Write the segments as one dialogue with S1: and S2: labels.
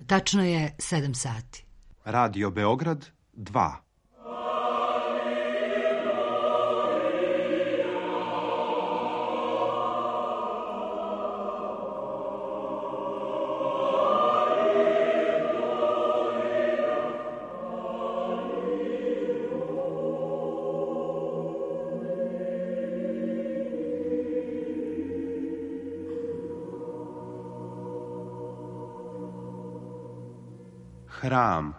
S1: Tačno je 7 sati.
S2: Radio Beograd 2. Hram.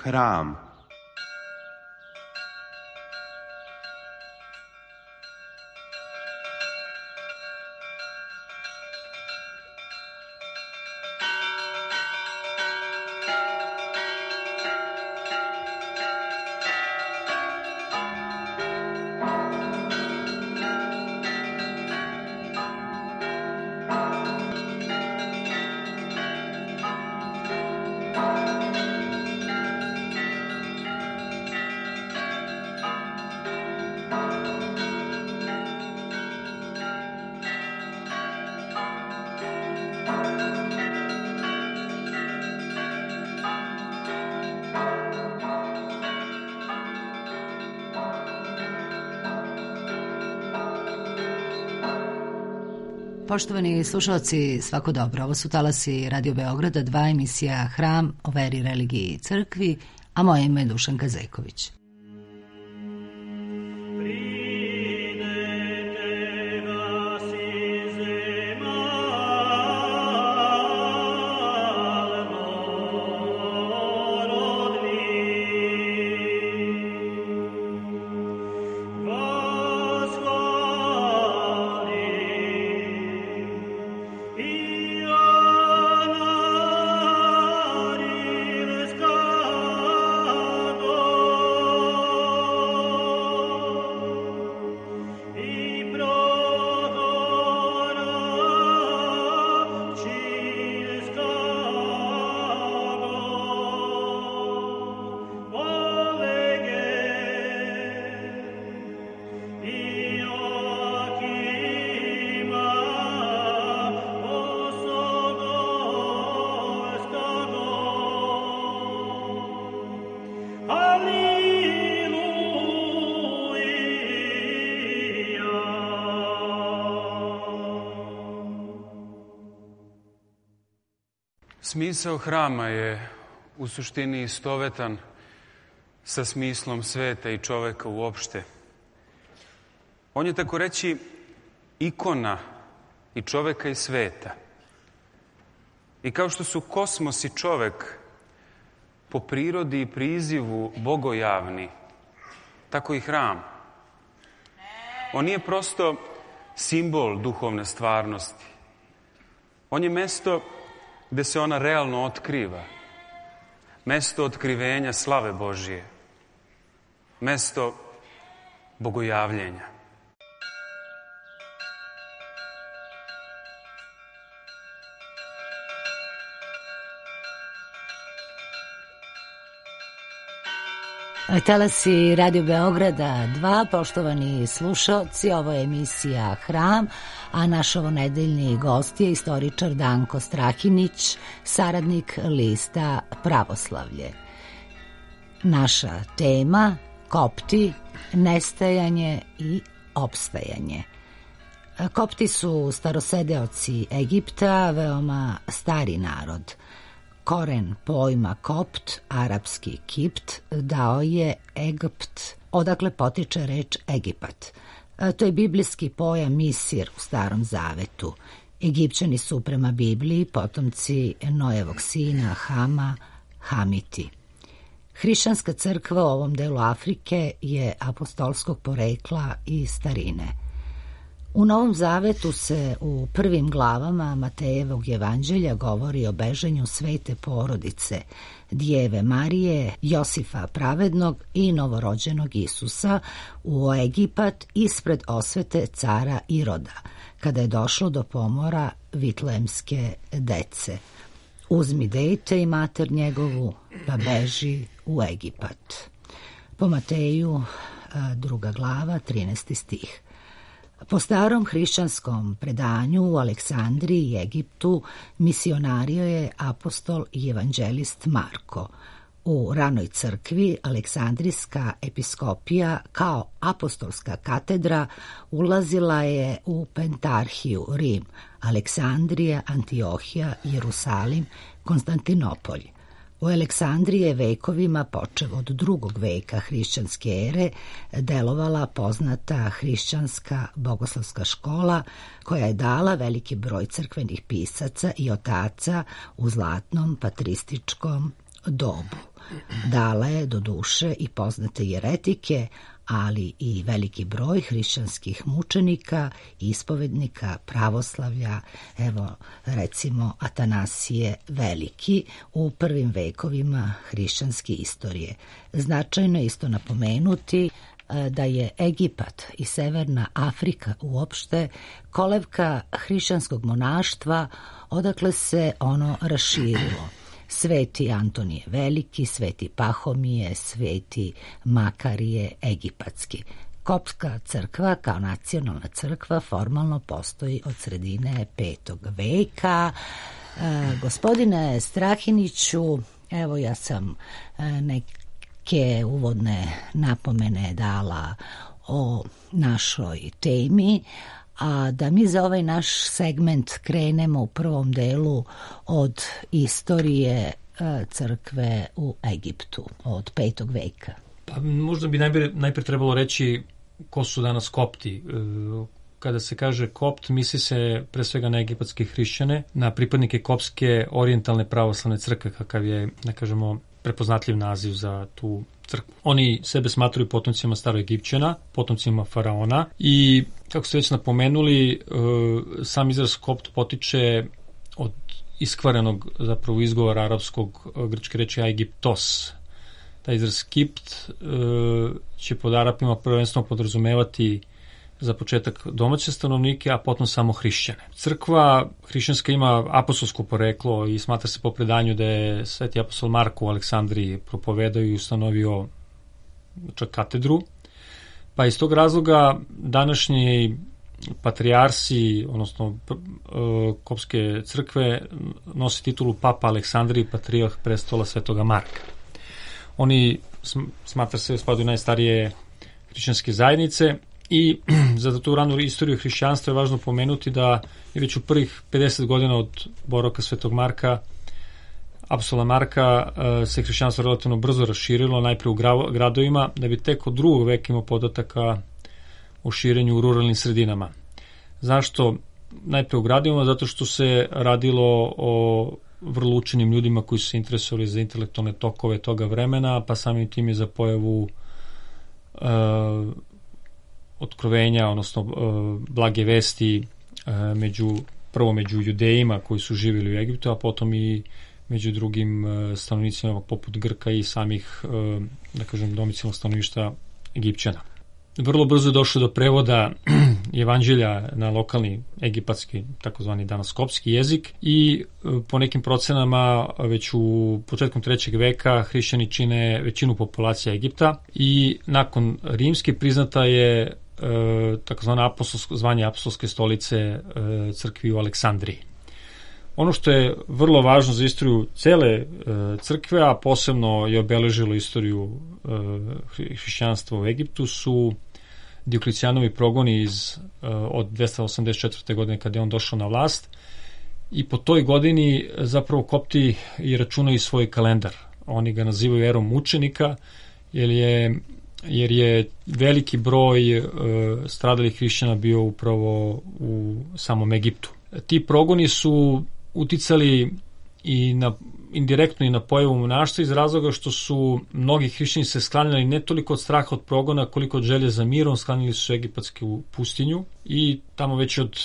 S2: Hram.
S1: Poštovani slušalci, svako dobro. Ovo su talasi Radio Beograda 2, emisija Hram o veri, religiji i crkvi, a moje ime je Dušanka Zeković.
S3: Smisao hrama je u suštini istovetan sa smislom sveta i čoveka uopšte. On je, tako reći, ikona i čoveka i sveta. I kao što su kosmos i čovek po prirodi i prizivu bogojavni, tako i hram. On nije prosto simbol duhovne stvarnosti. On je mesto gde se ona realno otkriva. Mesto otkrivenja slave Božije. Mesto bogojavljenja.
S1: Talasi Radio Beograda 2, poštovani slušalci, ovo je emisija Hram, a naš ovonedeljni gost je istoričar Danko Strahinić, saradnik lista Pravoslavlje. Naša tema: Kopti, nestajanje i opstajanje. Kopti su starosedeoci Egipta, veoma stari narod. Koren pojma kopt, arapski kipt, dao je Egipt, odakle potiče reč Egipat. To je biblijski pojam Misir u Starom Zavetu. Egipćani su prema Bibliji potomci Nojevog sina Hama, Hamiti. Hrišćanska crkva u ovom delu Afrike je apostolskog porekla i starine. U Novom Zavetu se u prvim glavama Matejevog evanđelja govori o bežanju svete porodice, Djeve Marije, Josifa pravednog i novorođenog Isusa u Egipat ispred osvete cara Iroda, kada je došlo do pomora vitlejemske dece. Uzmi dete i mater njegovu, pa beži u Egipat. Po Mateju, 2. glava, 13. stih. Po starom hrišćanskom predanju u Aleksandriji i Egiptu misionario je apostol i evanđelist Marko. U ranoj crkvi Aleksandrijska episkopija kao apostolska katedra ulazila je u Pentarhiju, Rim, Aleksandrija, Antiohija, Jerusalim, Konstantinopolj. U Aleksandriji je vekovima, počev od 2. veka hrišćanske ere, delovala poznata hrišćanska bogoslovska škola koja je dala veliki broj crkvenih pisaca i otaca u zlatnom patrističkom dobu. Dala je do duše i poznate jeretike, ali i veliki broj hrišćanskih mučenika, ispovednika, pravoslavlja, evo recimo Atanasije Veliki u prvim vekovima hrišćanske istorije. Značajno je isto napomenuti da je Egipat i Severna Afrika uopšte kolevka hrišćanskog monaštva, odakle se ono raširilo. Sveti Antonije Veliki, Sveti Pahomije, Sveti Makarije Egipatski. Koptska crkva kao nacionalna crkva formalno postoji od sredine 5. veka. Gospodine Strahiniću, evo ja sam neke uvodne napomene dala o našoj temi, a da mi za ovaj naš segment krenemo u prvom delu od istorije crkve u Egiptu, od 5. veka.
S4: Pa, možda bi najprije trebalo reći ko su danas kopti. Kada se kaže kopt, misli se pre svega na egipatske hrišćane, na pripadnike kopske orijentalne pravoslavne crkve, kakav je, da kažemo, prepoznatljiv naziv za tu crkvu. Oni sebe smatruju potomcima staroegipćana, potomcima faraona i, kako ste već napomenuli, sam izraz kopt potiče od iskvarenog zapravo izgovora arapskog grčke reči Aegyptos. Taj izraz kipt će pod Arapima prvenstveno podrazumevati za početak domaće stanovnike, a potom samo hrišćane. Crkva hrišćanska ima apostolsko poreklo i smatra se po predanju da je sveti apostol Marko u Aleksandriji propovedao i ustanovio čak katedru. Pa iz tog razloga današnji patrijarsi, odnosno kopske crkve, nosi titulu Papa Aleksandriji, patrijarh prestola Svetoga Marka. Oni smatra se spadaju najstarije hrišćanske zajednice i za tu ranu istoriju hrišćanstva je važno pomenuti da je već u prvih 50 godina od boravka Svetog Marka, apostola Marka, se hrišćanstvo relativno brzo raširilo, najprije u gradovima, da bi tek od 2. veka imao podataka o širenju u ruralnim sredinama. Zašto najprije u gradovima? Zato što se radilo o vrlo učenim ljudima koji su se interesovali za intelektualne tokove toga vremena, pa samim tim je za pojavu otkrovenja, odnosno blage vesti prvo među judejima koji su živjeli u Egiptu, a potom i među drugim stanovnicima poput Grka i samih, da kažem, domicilnog stanovništva Egipćana. Vrlo brzo je došlo do prevoda evanđelja na lokalni egipatski, takozvani danas kopski jezik i po nekim procenama već u početkom 3. veka hrišćani čine većinu populacije Egipta i nakon rimske priznata je takozvana zvanje apostolske stolice crkvi u Aleksandriji. Ono što je vrlo važno za istoriju cele crkve, a posebno je obeležilo istoriju hrišćanstva u Egiptu, su Dioklecianovi progoni od 284. godine kada je on došao na vlast i po toj godini zapravo kopti i računaju svoj kalendar. Oni ga nazivaju erom mučenika jer je veliki broj stradalih hrišćana bio upravo u samom Egiptu. Ti progoni su uticali i na indirektno i na pojavu monaštva iz razloga što su mnogi hrišćani se sklanjali ne toliko od straha od progona koliko od želje za mirom, sklanjali su egipatsku pustinju i tamo već od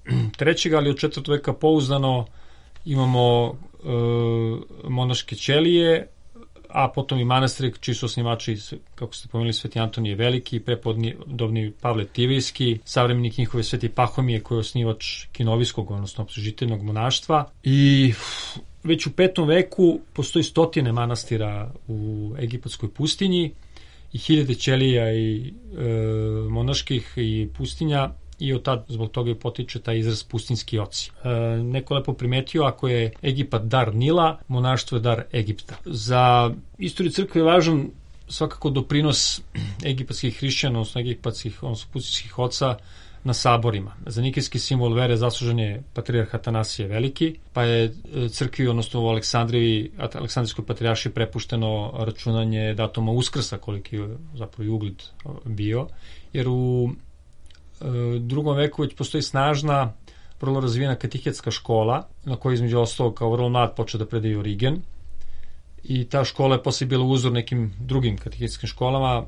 S4: 3. ali od 4. veka pouzdano imamo monaške ćelije, a potom i manastiri čiji su osnivači, kako ste pomenuli, Sveti Antonije Veliki, prepodobni Pavle Tivijski, savremenik njihove Sveti Pahomije koji je osnivač Kinovijskog, odnosno opslužiteljnog monaštva. I već u 5. veku postoji 100 manastira u egipatskoj pustinji i 1000 ćelija i monaških i pustinja, i od tad zbog toga potiče taj izraz pustinski oci. Neko lepo primetio, ako je Egipat dar Nila, monaštvo je dar Egipta. Za istoriju crkve je važan svakako doprinos egipatskih hrišćana, odnosno pustinskih oca na saborima. Za nikejski simbol vere zaslužen je patrijarh Atanasije Veliki, pa je crkvi, odnosno u Aleksandrijskoj patrijaršiji prepušteno računanje datuma Uskrsa, koliki je zapravo i ugled bio, jer u 2. veku već postoji snažna, vrlo razvijena katehetska škola, na kojoj između ostalog kao vrlo mlad počeo da predaje Origen, i ta škola je posle bila uzor nekim drugim katehetskim školama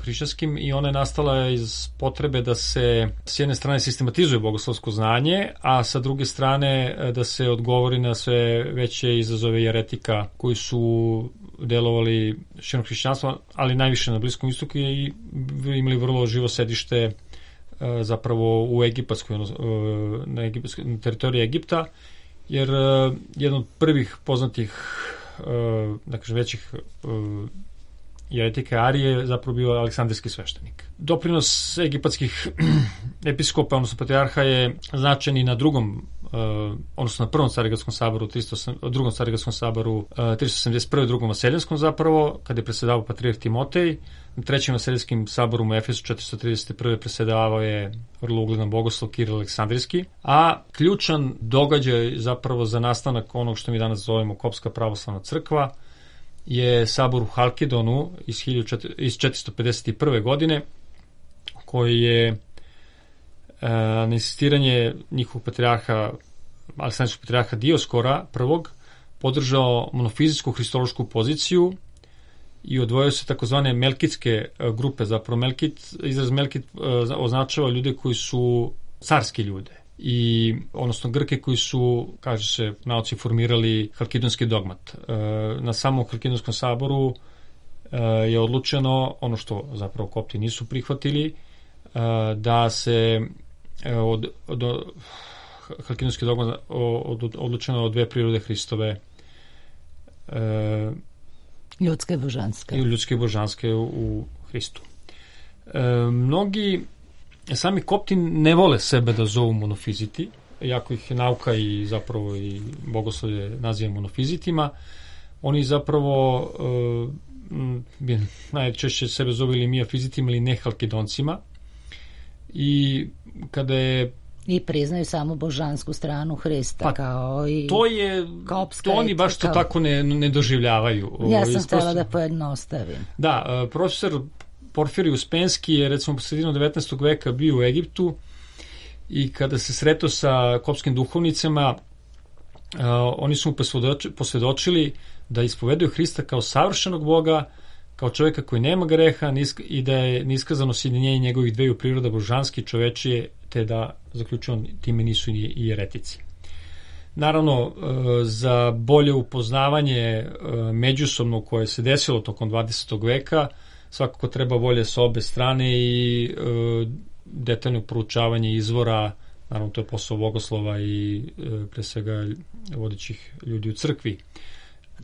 S4: hrišćanskim, i ona je nastala iz potrebe da se s jedne strane sistematizuje bogoslovsko znanje, a sa druge strane da se odgovori na sve veće izazove jeretika koji su delovali širom hrišćanstva, ali najviše na Bliskom istoku, i imali vrlo živo sedište zapravo u egipatskoj, na teritoriji Egipta, jer jedan od prvih poznatih većih jeretika Arije je zapravo bio aleksandrijski sveštenik. Doprinos egipatskih episkopa, odnosno patrijarha, je značajan i na drugom, odnosno na Prvom Carigradskom saboru, Drugom Carigradskom saboru 371. Drugom Vaseljenskom zapravo, kada je presedavao patrijarh Timotej. Na Trećem Vaseljenskim saboru u Efesu 431. presedavao je vrlo ugledan bogoslov Kiril Aleksandrijski, a ključan događaj zapravo za nastanak onog što mi danas zovemo Kopska pravoslavna crkva je sabor u Halkidonu iz 451. godine, koji je na insistiranje njihovog patrijarha, aleksandrijskog patrijarha Dioskora prvog, podržao monofizijsku hristološku poziciju i odvojio se takozvane melkitske grupe. Zapravo izraz melkit označava ljude koji su carski ljude, i odnosno Grke koji su, kaže se, nauci formirali halkidonski dogmat. Na samom Halkidonskom saboru je odlučeno, ono što zapravo Kopti nisu prihvatili, da se od halkidonski dogmat odlučeno od 2 prirode Hristove,
S1: ljudske i
S4: božanske u Hristu. Mnogi sami Kopti ne vole sebe da zovu monofiziti, jako ih je nauka i zapravo i bogoslovlje naziva monofizitima. Oni zapravo najčešće sebe zovu ili miafizitima ili nehalkidoncima, i kada je
S1: i priznaju samo božansku stranu Hrista,
S4: pa,
S1: kao i kopska.
S4: To oni baš to tako ne doživljavaju.
S1: Ja sam htjela da pojednostavim.
S4: Da, profesor Porfirij Uspenski je recimo po sredinu 19. veka bio u Egiptu, i kada se sretao sa kopskim duhovnicama, oni su mu posvjedočili da ispovedaju Hrista kao savršenog Boga, kao čovjeka koji nema greha, i da je neiskazano sjedinjenje njegovih 2 priroda, božanski i čovečije, te da, zaključujem, time nisu i jeretici. Naravno, za bolje upoznavanje međusobno koje se desilo tokom 20. veka, svakako treba volje sa obe strane i detaljno proučavanje izvora. Naravno, to je posao bogoslova i pre svega vodećih ljudi u crkvi.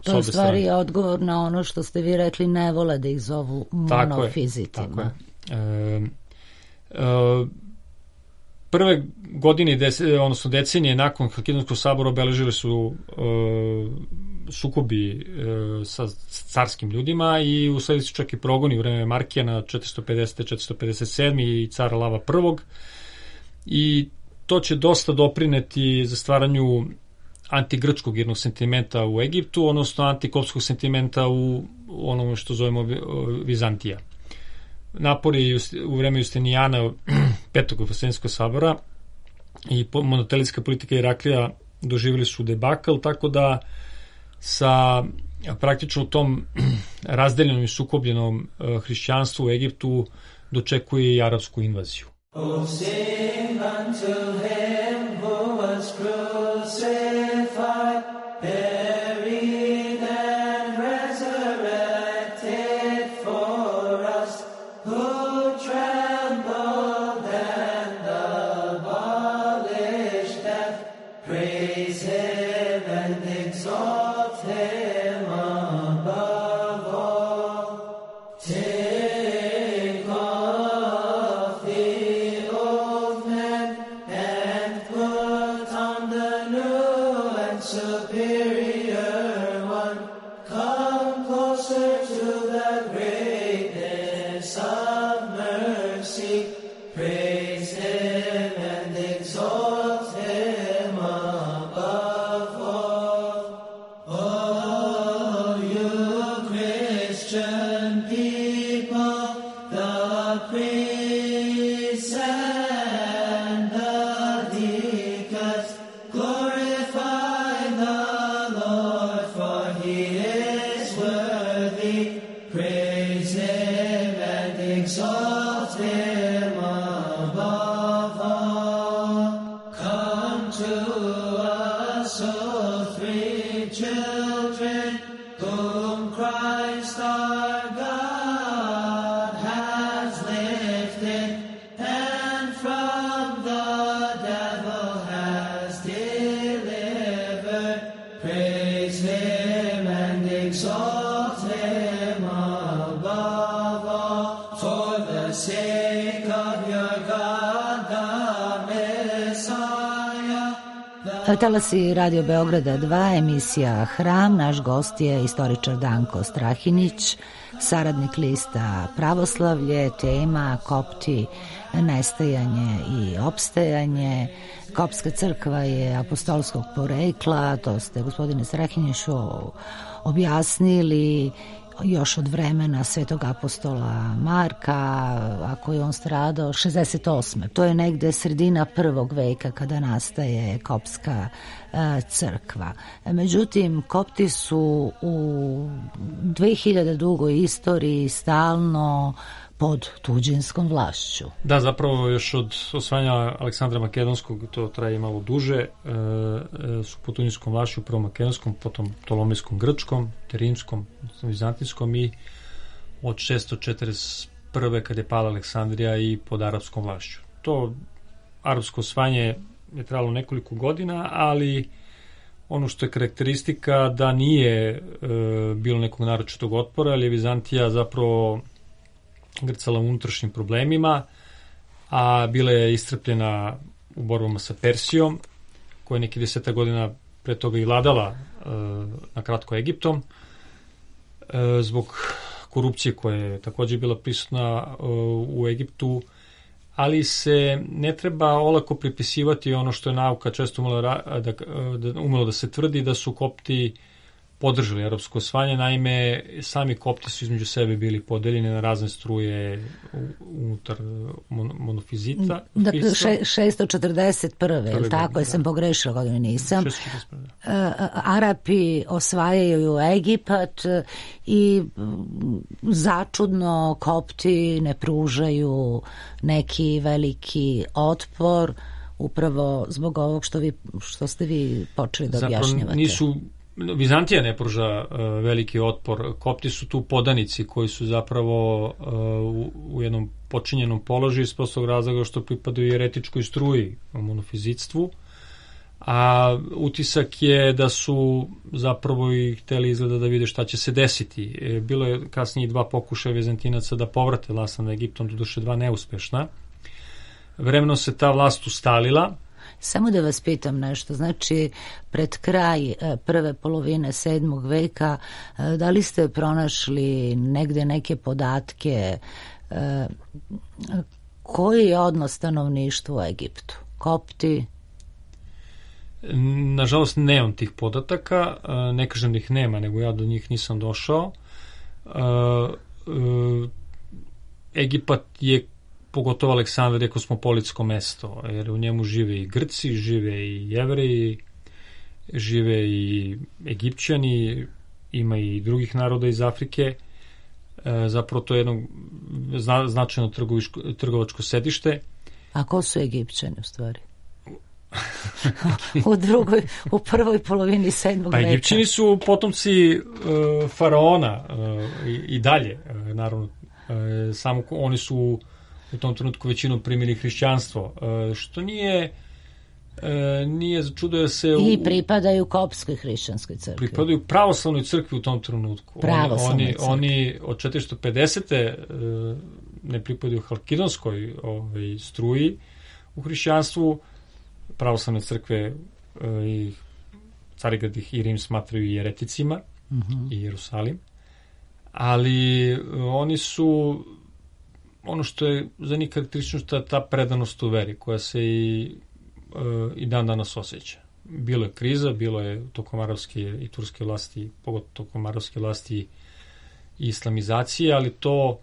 S1: To je stvari odgovor na ono što ste vi rekli, ne vole da ih zovu monofizitima.
S4: Tako je. Prve godine, odnosno decenije nakon Halkidonskog sabora obeležili su sukobi sa carskim ljudima, i usledili su čak i progoni u vreme Markijana 450. 457. i cara Lava I. I to će dosta doprineti za stvaranju antigrčkog jednog sentimenta u Egiptu, odnosno antikopskog sentimenta u onome što zovemo Vizantija. Napori u vreme Justinijana 5. Vaseljenskog sabora i monotelijetska politika Iraklija doživjeli su debakl, tako da sa praktično u tom razdeljenom i sukobljenom hrišćanstvu u Egiptu dočekuje i arapsku invaziju.
S5: Oh, sing unto him who was crucified, buried and resurrected for us, who trembled and abolished death. Praise him and exalt him above all. Take off the old man and put on the new and superior one. Come closer to the greatness of mercy. Praise him and exalt him above all. Oh, you Christian people, the priests and the deacons, glorify the Lord, for he is worthy. Praise him and exalt him above all. Come to us, O three children, whom Christ our God has lifted, and from the devil has delivered. Praise him and exalt him above all. For the sake of your God, the Messiah,
S1: Talasi Radio Beograda 2, emisija Hram. Naš gost je istoričar Danko Strahinić, saradnik lista Pravoslavlje, tema Kopti, nestajanje i opstajanje. Kopska crkva je apostolskog porekla, to ste, gospodine Strahiniću, objasnili još od vremena svetog apostola Marka, ako je on stradao 68. To je negde sredina prvog veka kada nastaje kopska crkva. Međutim, Kopti su u 2000 dugoj istoriji stalno pod tuđinskom vlašću.
S4: Da, zapravo još od osvajanja Aleksandra Makedonskog, to traje malo duže, su pod tuđinskom vlašću, prvo makedonskom, potom Ptolomejskom grčkom, te rimskom, vizantijskom i od 641. kada je pala Aleksandrija i pod arapskom vlašću. To arapsko osvajanje je trajalo nekoliko godina, ali ono što je karakteristika da nije bilo nekog naročitog otpora, ali je Vizantija zapravo grcala u unutrašnjim problemima, a bila je iscrpljena u borbama sa Persijom, koja je neki 10 godina pre toga i vladala na kratko Egiptom, zbog korupcije koja je takođe bila prisutna u Egiptu, ali se ne treba olako pripisivati ono što je nauka često umelo da se tvrdi, da su Kopti podržali arapsko osvajanje. Naime, sami Kopti su između sebe bili podeljeni na razne struje unutar monofizita.
S1: Dakle, 641. Ili tako, jesam pogrešila, godinu nisam. 641. Arapi osvajaju Egipat i začudno Kopti ne pružaju neki veliki otpor, upravo zbog ovog što ste vi počeli da objašnjavate.
S4: Vizantija ne pruža veliki otpor. Kopti su tu podanici koji su zapravo u jednom počinjenom položaju iz prostog razloga što pripadaju jeretičkoj struji u monofizitstvu, a utisak je da su zapravo i hteli izgleda da vide šta će se desiti. Bilo je kasnije 2 pokušaja Vizantinaca da povrate vlast nad Egiptom, doduše 2 neuspešna. Vremenom se ta vlast ustalila.
S1: Samo da vas pitam nešto, znači pred kraj prve polovine 7. veka, da li ste pronašli negde neke podatke koji je odnos stanovništva u Egiptu? Kopti?
S4: Nažalost, nemam tih podataka, ne kažem da ih nema, nego ja do njih nisam došao. Egipat je, pogotovo Aleksandrija, kosmopolitsko mesto, jer u njemu žive i Grci, žive i Jevreji, žive i Egipćani, ima i drugih naroda iz Afrike. Zapravo to je jedno značajno trgovačko sedište.
S1: A ko su Egipćani u stvari? u prvoj polovini 7. veka.
S4: Pa Egipćani su potomci faraona i dalje, naravno. Samo oni su u tom trenutku većinom primili hrišćanstvo, što nije čudo da se...
S1: I pripadaju kopskoj hrišćanskoj crkvi.
S4: Pripadaju pravoslavnoj crkvi u tom trenutku. Oni od 450. Ne pripadaju halkidonskoj struji u hrišćanstvu. Pravoslavne crkve i Carigrad i Rim smatraju jereticima i Jerusalim. Ali oni su, ono što je za njih karakteristično, ta predanost u veri koja se i dan danas osjeća. Bilo je kriza, bilo je tokom arapske i turske vlasti, pogotovo tokom arapske vlasti i islamizacije, ali to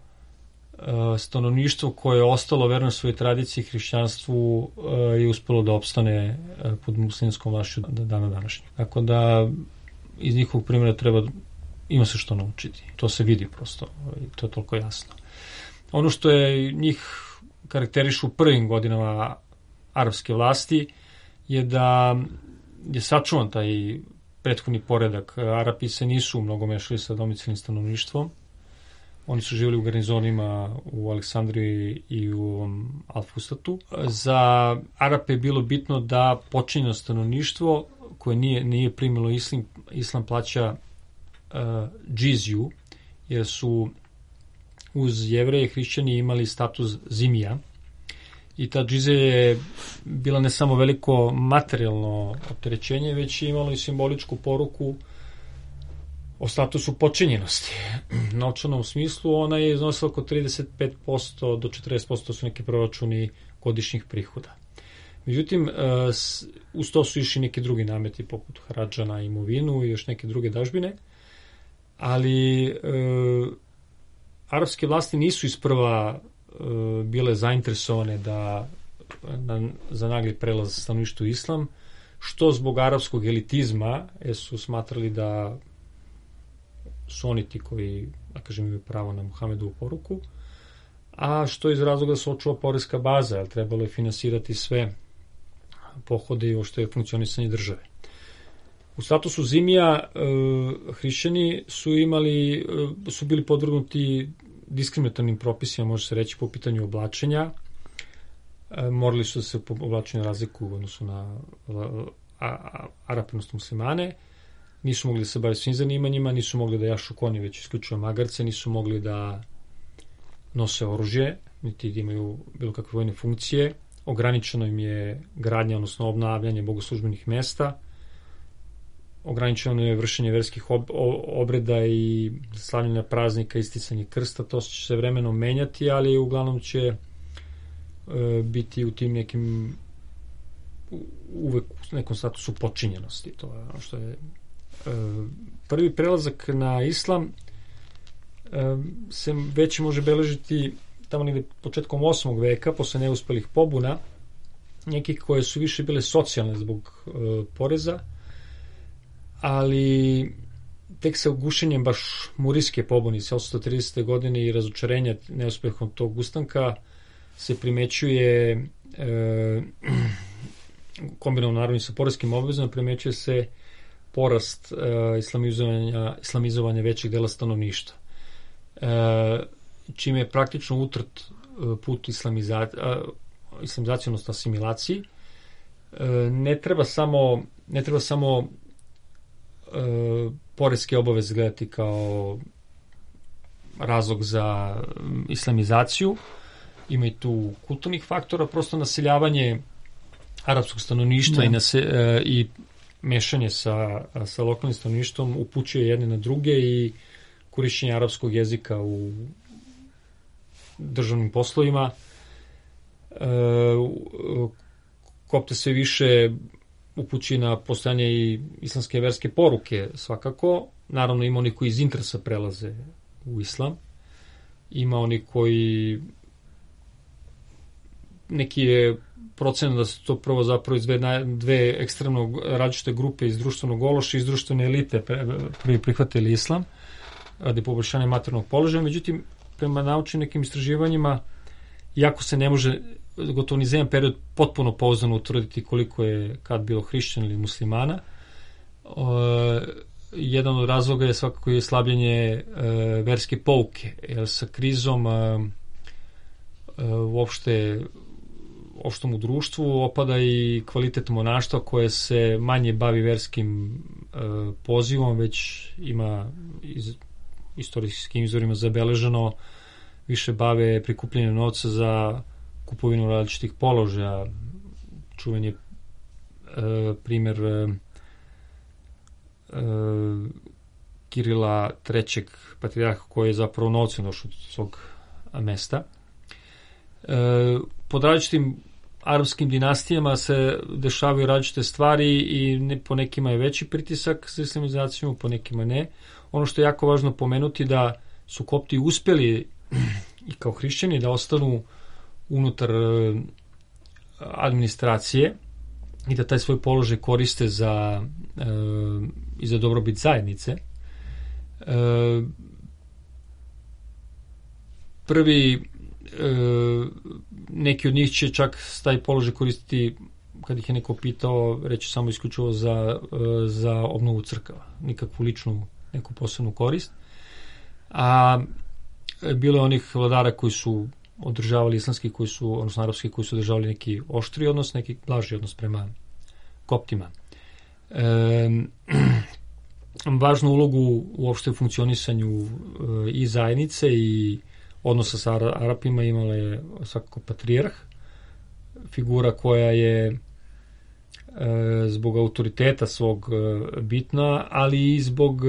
S4: stanovništvo koje je ostalo verno svojoj tradiciji i hrišćanstvu je uspelo da opstane pod muslimskom vlašću do dana današnjeg. Tako da iz njihovog primjera ima se što naučiti. To se vidi prosto i to je toliko jasno. Ono što je njih karakterišu u prvim godinama arapske vlasti je da je sačuvan taj prethodni poredak. Arapi se nisu mnogo mešali sa domicilnim stanovništvom. Oni su živjeli u garnizonima u Aleksandriji i u Al-Fustatu. Za Arape je bilo bitno da počinjeno stanovništvo koje nije primilo islam plaća džiziju, jer su uz Jevreje i hrišćani imali status zimija. I ta džizija je bila ne samo veliko materijalno opterećenje, već je imalo i simboličku poruku o statusu počinjenosti. U novčanom smislu ona je iznosila oko 35% do 40% su neki proračuni godišnjih prihoda. Međutim, uz to su išli neki drugi nameti poput haradža na imovinu i još neke druge dažbine, ali arapske vlasti nisu isprva bile zainteresovane za nagli prelaz stanovništva u islam, što zbog arapskog elitizma su smatrali da su oni ti koji, da kažem, imaju pravo na Muhamedovu poruku, a što iz razloga da se očuva poreska baza, jer trebalo je finansirati sve pohode i što je funkcionisanje države. U statusu zimija hrišćani su bili podvrgnuti diskriminatornim propisima, može se reći, po pitanju oblačenja. Morali su da se po oblačenju razliku u odnosu na Arape, odnosno muslimane. Nisu mogli da se bave svim zanimanjima, nisu mogli da jašu konje, već isključivo magarce, nisu mogli da nose oružje, niti da imaju bilo kakve vojne funkcije. Ograničeno im je gradnja, odnosno obnavljanje bogoslužbenih mesta. Ograničeno je vršenje verskih obreda i slavljenja praznika, isticanje krsta. To će se vremenom menjati, ali uglavnom će biti u tim nekim uvek u nekom statusu počinjenosti. To je ono što je prvi prelazak na islam se već može beležiti tamo negde početkom 8. veka, posle neuspelih pobuna, nekih koje su više bile socijalne zbog poreza, ali tek sa ugušenjem baš murijske pobune 1830. godine i razočarenja neuspehom tog ustanka se primećuje kombinovano naravno sa poreskim obvezama, primećuje se porast islamizovanja većeg dela stanovništva. Čime je praktično utrt put islamizacije, odnosno asimilaciji. Ne treba samo poreske obaveze gledati kao razlog za islamizaciju. Ima i tu kulturnih faktora, prosto naseljavanje arapskog stanovništva i mešanje sa lokalnim stanovništvom upućuje jedne na druge i korišćenje arapskog jezika u državnim poslovima. Kopte sve više upući na postojanje i islamske verske poruke svakako. Naravno ima oni koji iz interesa prelaze u islam. Ima oni koji neki je procena da su to prvo zapravo iz dve ekstremno različite grupe iz društvenog ološa i iz društvene elite prvi prihvatili islam radi poboljšanja materijalnog položaja. Međutim, prema naučnim nekim istraživanjima, iako se ne može gotovo ni za jedan period potpuno pouzdano utvrditi koliko je kad bilo hrišćana ili muslimana, jedan od razloga je svakako i slabljenje verske pouke, jer sa krizom uopšte u društvu opada i kvalitet monaštva koje se manje bavi verskim pozivom, već ima istorijskim izvorima zabeleženo više bave prikupljenjem novca za kupovinu različitih položaja. Čuven je primer Kirila III. Patrijarha koji je zapravo novcem došao od svog mesta. Pod različitim arapskim dinastijama se dešavaju različite stvari i po nekima je veći pritisak za islamizaciju, po nekima ne. Ono što je jako važno pomenuti da su Kopti uspeli i kao hrišćani da ostanu unutar administracije i da taj svoj položaj koriste i za dobrobit zajednice. Neki od njih će čak taj položaj koristiti, kad ih je neko pitao, reći samo isključivo za obnovu crkava, nikakvu ličnu neku posebnu korist. A bilo je onih vladara koji su održavali islamski, odnosno arapski, koji su održavali neki oštri odnos, neki blaži odnos prema Koptima. Važnu ulogu uopšte u funkcionisanju i zajednice i odnosa sa Arapima imala je svakako patrijarh, figura koja je zbog autoriteta svog bitna, ali i zbog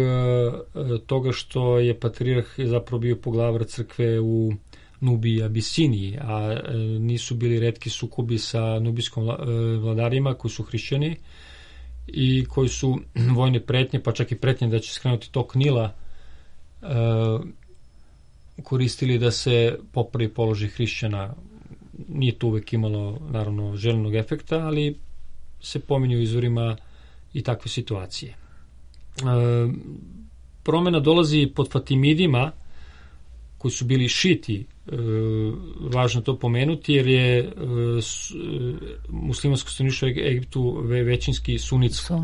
S4: toga što je patrijarh zapravo bio poglavar crkve u Nubiji i Abisiniji, a nisu bili retki sukobi sa nubijskom vladarima koji su hrišćani i koji su vojne pretnje, pa čak i pretnje da će skrenuti tok Nila, koristili da se popravi položaj hrišćana. Nije to uvek imalo, naravno, željenog efekta, ali se pominju u izvorima i takve situacije. Promena dolazi pod Fatimidima, koji su bili šiti, važno to pomenuti, jer je muslimansko stanovništvo Egiptu većinski sunitsko.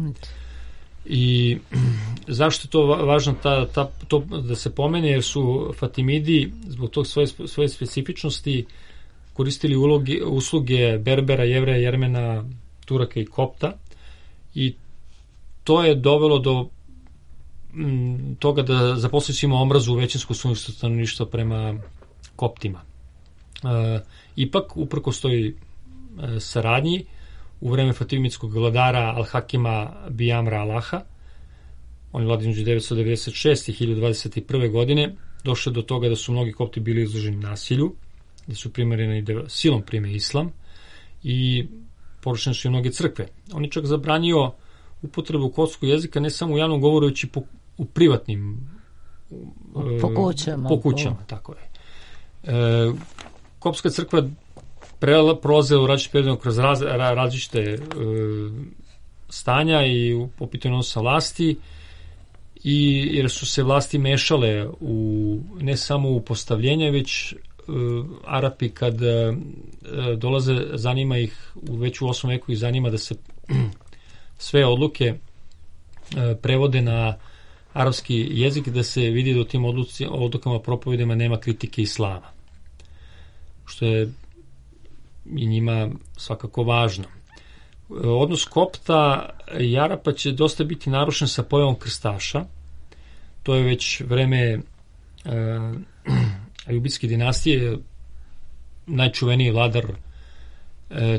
S4: I zašto je to važno to da se pomene, jer su Fatimidi zbog tog svoje specifičnosti koristili usluge Berbera, Jevreja, Jermena, Turaka i Kopta, i to je dovelo do toga da zaposlili su ima omrazu većinskog sunničkog stanovništva prema Koptima. Ipak, uprkos toj saradnji, u vreme fatimidskog vladara Al-Hakima Bijamra Alaha, on je vlada između 996. i 1021. godine, došlo do toga da su mnogi Kopti bili izloženi nasilju, da su primarjeni da silom prime islam i porušene su i mnoge crkve. On je čak zabranio upotrebu koptskog jezika ne samo u javnom govoru, već i u privatnim po kućama. Tako je. Koptska crkva prolazila u različite periode kroz različite stanja i po pitanju odnosa vlasti, i jer su se vlasti mešale ne samo u postavljenje, već Arapi kad dolaze, zanima ih, već u 8. veku ih zanima da se sve odluke prevode na arapski jezik, da se vidi da u tim odlukama, propovedima nema kritike islama, što je i njima svakako važno. Odnos Kopta i Arapa će dosta biti narušen sa pojavom krstaša. To je već vreme Ajubidske dinastije. Najčuveniji vladar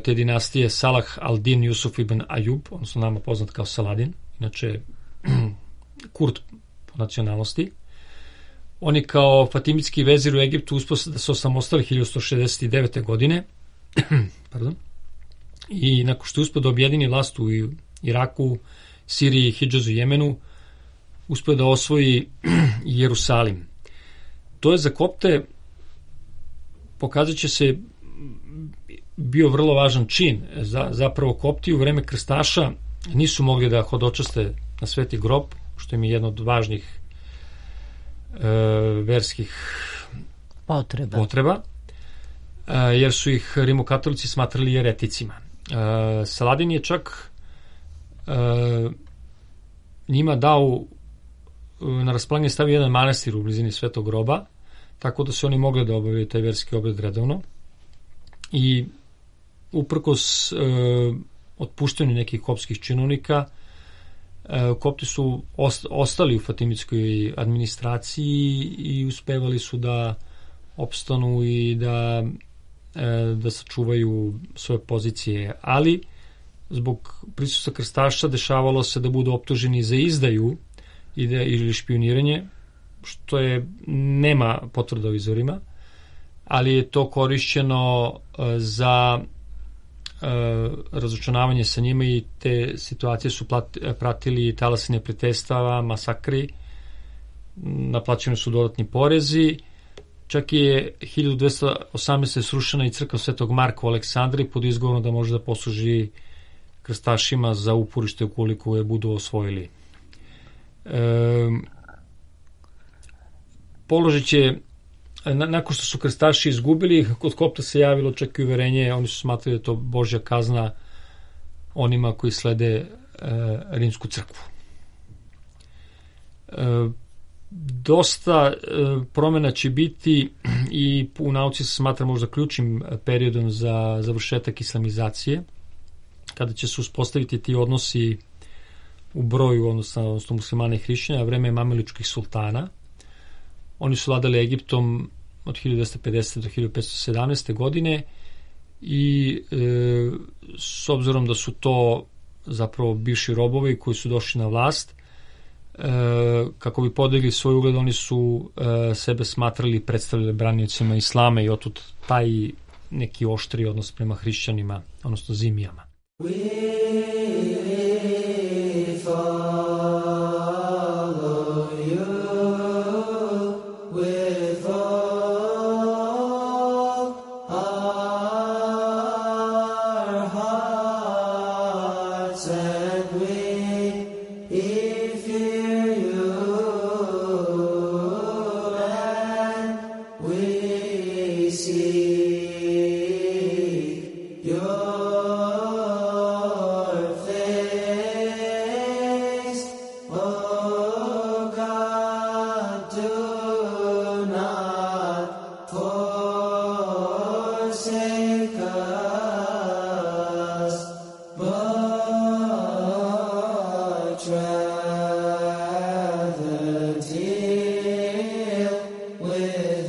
S4: te dinastije Salah al-Din Jusuf ibn Ajub, odnosno nama poznat kao Saladin, inače Kurd po nacionalnosti. On je kao fatimidski vezir u Egiptu uspio da se osamostali 1169. godine pardon, i nakon što je uspio da objedini vlast u Iraku, Siriji, Hidžazu i Jemenu, uspio da osvoji Jerusalim. To je za Kopte, pokazat će se, bio vrlo važan čin. Zapravo kopti u vreme krstaša nisu mogli da hodočaste na Sveti grob, što im je jedno od važnih verskih potreba, jer su ih rimokatolici smatrali jereticima. Saladin je čak njima dao na raspolaganje stavio jedan manastir u blizini Svetog groba, tako da su oni mogli da obavljaju taj verski obred redovno. I uprkos otpuštanju nekih kopskih činovnika, kopti su ostali u fatimitskoj administraciji i uspevali su da opstanu i da sačuvaju svoje pozicije, ali zbog prisustva krstaša dešavalo se da budu optuženi za izdaju ili špioniranje, što nema potvrda o izvorima, ali je to korišćeno za razočunavanje sa njima i te situacije su pratili talasi neprijateljstava, masakri, naplaćeni su dodatni porezi. Čak je 1218. srušena i crkva Svetog Marka u Aleksandriji pod izgovorom da može da posluži krstašima za uporište ukoliko je budu osvojili. Položaj će, nakon što su krstaši izgubili, kod kopta se javilo čak i uverenje, oni su smatrali da je to Božja kazna onima koji slede rimsku crkvu. Dosta promjena će biti i u nauci se smatra možda ključnim periodom za završetak islamizacije, kada će se uspostaviti ti odnosi u broju, odnosno muslimana i hrišćana, vreme mamiličkih sultana. Oni su vladali Egiptom od 1250. do 1517. godine i s obzirom da su to zapravo bivši robovi koji su došli na vlast, kako bi podigli svoj ugled, oni su sebe smatrali i predstavljali braniocima islama i otud taj neki oštri odnos prema hrišćanima, odnosno zimijama.
S5: with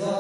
S5: us.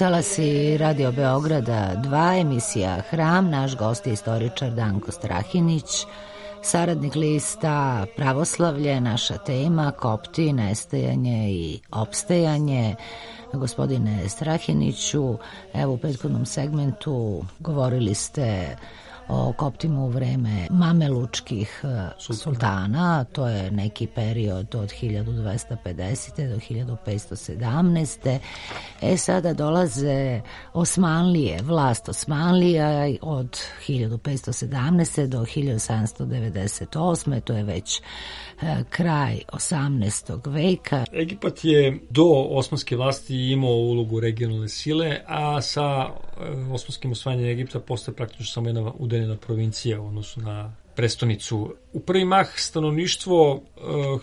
S1: talasi Radio Beograda 2, emisija Hram, naš gost je istoričar Danko Strahinić, saradnik lista Pravoslavlje, naša tema, Kopti, nestajanje i opstajanje. Gospodine Strahiniću, evo u prethodnom segmentu govorili ste o Koptima u vreme mamelučkih sultana, to je neki period od 1250. do 1517. Sada dolaze Osmanlije, vlast Osmanlija od 1517. do 1798. To je već kraj 18. veka.
S4: Egipat je do osmanske vlasti imao ulogu regionalne sile, a sa osmanskim osvajanjem Egipta postaje praktično samo jedna udaljena provincija u odnosu na prestonicu. U prvi mah stanovništvo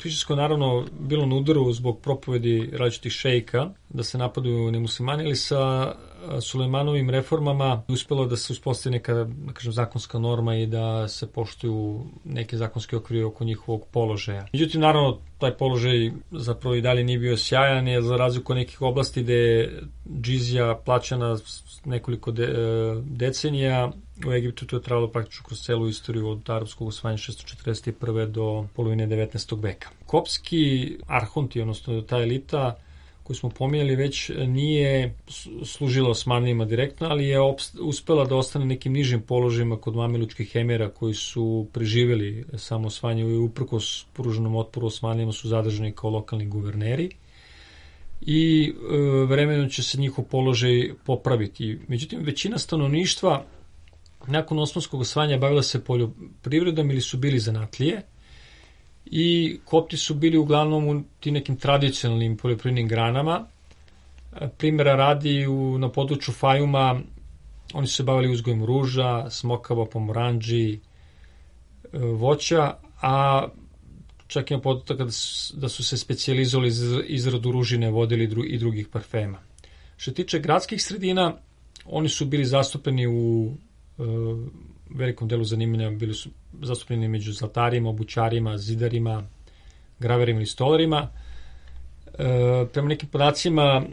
S4: hrišćansko naravno bilo na udaru zbog propovedi različitih šejka da se napadaju nemuslimani, ali sa Sulejmanovim reformama uspelo da se uspostavi neka, da kažem, zakonska norma i da se poštuju neke zakonske okvire oko njihovog položaja. Međutim, naravno, taj položaj zapravo i dalje nije bio sjajan, jer za razliku nekih oblasti gde je džizija plaćana nekoliko decenija, u Egiptu to je trajalo praktično kroz celu istoriju od arapskog osvajanja 641. do polovine 19. veka. Kopski arhonti, odnosno ta elita koju smo pominjali već, nije služila Osmanlijima direktno, ali je uspela da ostane nekim nižim položajima kod mamelučkih emira koji su preživjeli samo osvajanje i uprkos pruženom otporu Osmanlijima su zadržani kao lokalni guverneri i vremenom će se njihov položaj popraviti. Međutim, većina stanovništva nakon osmanskog osvajanja bavila se poljoprivredom ili su bili zanatlije i Kopti su bili uglavnom u tim nekim tradicionalnim poljoprivrednim granama. Primjera radi na području Fajuma oni su se bavili uzgojem ruža, smokava, pomoranđi, voća, a čak ima podatak da su se specijalizovali za izradu ružine, vodili i drugih parfema. Što tiče gradskih sredina, oni su bili zastupljeni u velikom delu zanimanja, bili su zastupljeni među zlatarima, obućarima, zidarima, graverima i stolarima. Prema nekim podacima,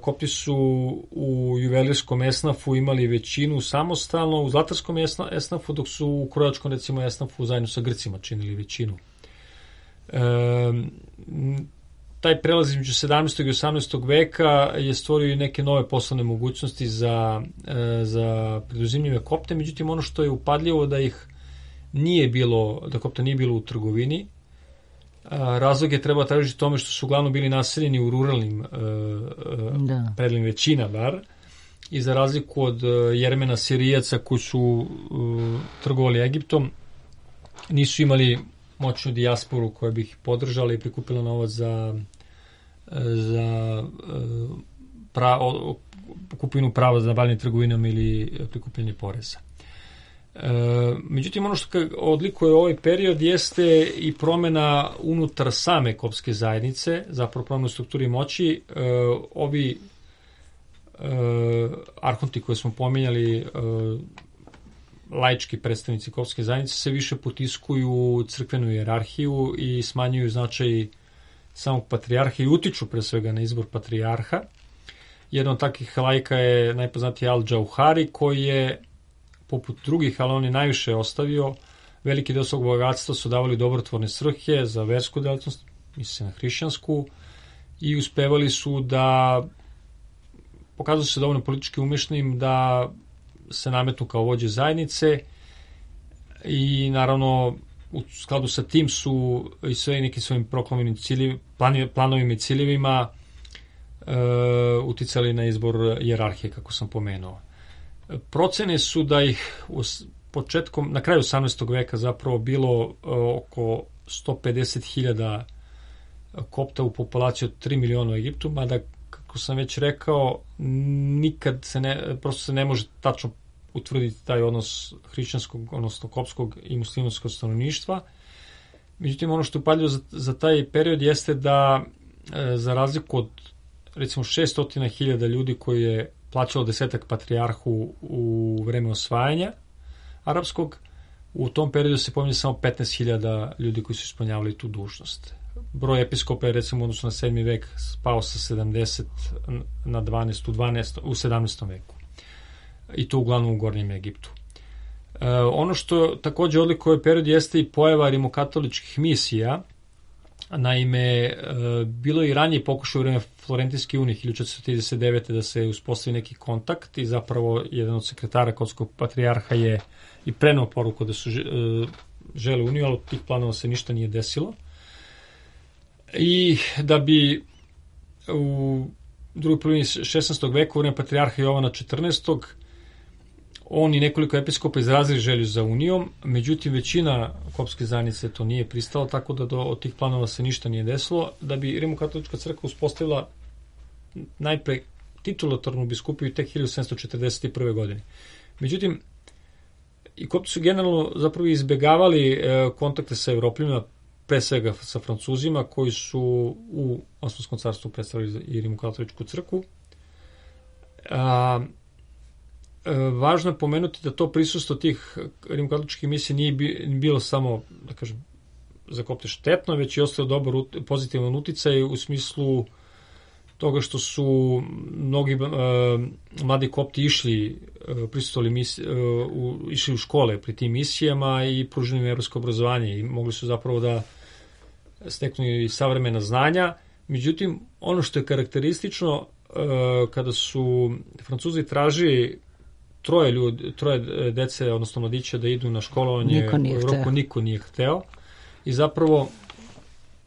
S4: Kopti su u juvelirskom esnafu imali većinu samostalno, u zlatarskom esnafu, dok su u krojačkom, recimo, esnafu zajedno sa Grcima činili većinu. Taj prelaz između 17. i 18. veka je stvorio i neke nove poslovne mogućnosti za preduzimljive Kopte, međutim ono što je upadljivo da Kopta nije bilo u trgovini. Razlog je treba tražiti tome što su uglavnom bili naseljeni u ruralnim predlim, većina bar, i za razliku od Jermena Sirijaca koji su trgovali Egiptom, nisu imali moćnu dijasporu koja bi ih podržala i prikupila novac za kupinu prava za bavljanje trgovinom ili prikupljanje poreza. Međutim, ono što odlikuje ovaj period jeste i promena unutar same kopske zajednice, zapravo promena u strukturi moći. Ovi arhonti koje smo pominjali, laički predstavnici kopske zajednice, se više potiskuju u crkvenu hijerarhiju i smanjuju značaj samog patrijarha i utiču pre svega na izbor patrijarha. Jedan od takvih laika je najpoznatiji Al-Džauhari, koji je, poput drugih, ali on je najviše ostavio, veliki deo svog bogatstva su davali dobrotvorne svrhe za versku delatnost, misli se na hrišćansku, i uspevali su da pokazuju se dovoljno politički umešnim da se nametnu kao vođe zajednice i naravno u skladu sa tim su i sve nekim svojim proklamiranim planovima i ciljevima uticali na izbor hijerarhije, kako sam pomenuo. Procene su da ih na kraju 18. veka zapravo bilo oko 150.000 Kopta u populaciji od 3 miliona u Egiptu, mada, kako sam već rekao, nikad prosto se ne može tačno utvrditi taj odnos hrišćanskog, odnosno kopskog i muslimanskog stanovništva. Međutim, ono što je upadljivo za taj period jeste da, za razliku od recimo 600.000 ljudi koji je plaćalo 10 patrijarhu u vreme osvajanja arapskog, u tom periodu se pominje samo 15.000 ljudi koji su ispunjavali tu dužnost. broj episkopa je recimo odnosno na 7. vek spao sa 70 na 12 u 17. veku. I to uglavnom u Gornjem Egiptu. Ono što takođe odlikuje period jeste i pojava rimokatoličkih misija. Naime, bilo je i ranije pokušaj u vreme Florentijske unije 1439. da se uspostavi neki kontakt i zapravo jedan od sekretara Kopskog patrijarha je i preneo poruku da su žele uniju, ali od tih planova se ništa nije desilo. I da bi u drugoj polovini 16. veka u vreme patrijarha Jovana 14. on i nekoliko episkopa izrazili želju za unijom, međutim većina kopske zajednice to nije pristala, tako da od tih planova se ništa nije desilo. Da bi Rimokatolička crkva uspostavila najpre titulatornu biskupiju tek 1741. godine. Međutim, i kopti su generalno zapravo izbegavali kontakte sa Evropljanima, pre svega sa Francuzima, koji su u Osmanskom carstvu predstavili i Rimokatoličku crkvu. Važno je pomenuti da to prisustvo tih rimokatoličkih misija nije bilo samo, da kažem, za kopte štetno, već i ostao dobar pozitivan uticaj u smislu toga što su mnogi mladi kopti išli u škole pri tim misijama i pružili im evropsko obrazovanje i mogli su zapravo da steknu i savremena znanja. Međutim, ono što je karakteristično, kada su Francuzi tražili troje dece, odnosno mladića da idu na školovanje u Evropu, niko nije hteo. I zapravo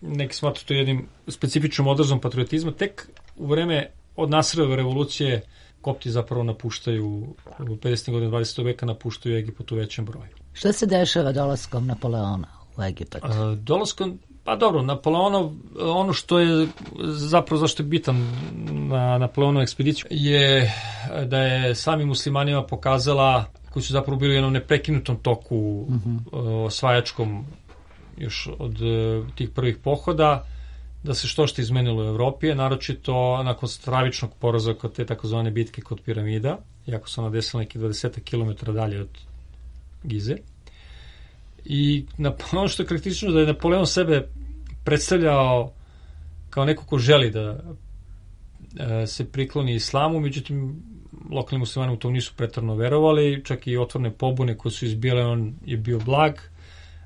S4: neki smatruju to jednim specifičnom odrazom patriotizma. Tek u vreme od Nasirove revolucije kopti zapravo napuštaju, u 50. godinu 20. veka napuštaju Egipat u većem broju.
S1: Šta se dešava dolaskom Napoleona u Egipat?
S4: Dolaskom, pa dobro, Napoleonov, ono što je zapravo zašto je bitan na Napoleonovu ekspediciju je da je samim muslimanima pokazala, koji su zapravo bili u jednom neprekinutom toku osvajačkom još od tih prvih pohoda, da se što izmenilo u Evropi, naročito nakon stravičnog poraza kod te takozvane bitke kod piramida, iako se ona desila neki 20 km dalje od Gize. I ono što je karakteristično da je Napoleon sebe predstavljao kao neko ko želi da se prikloni islamu, međutim lokalni muslimani u to nisu pretarno verovali, čak i otvorene pobune koje su izbile, on je bio blag,